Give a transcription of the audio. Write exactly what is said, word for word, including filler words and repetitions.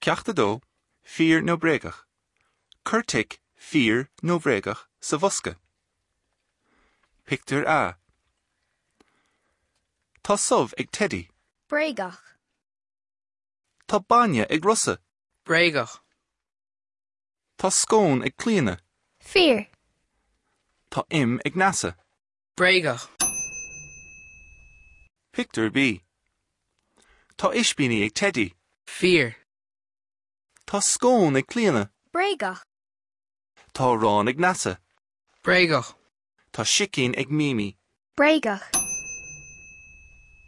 Ceacht a dó, fíor nó bréagach. Cuir tic fíor nó bréagach sa bhosca. Pictiúr A. Tá subh ag Teddy. Bréagach. Tá bainne ag Rosa. Bréagach. Tá scón ag Clíona. Fíor. Tá im ag Neasa. Bréagach. Pictiúr B. Tá ispíní ag Teddy. Fíor. Tá scón ag Clíona. Bréagach. Tá arán ag Neasa. Bréagach. Tá sicín ag Mimi. Bréagach.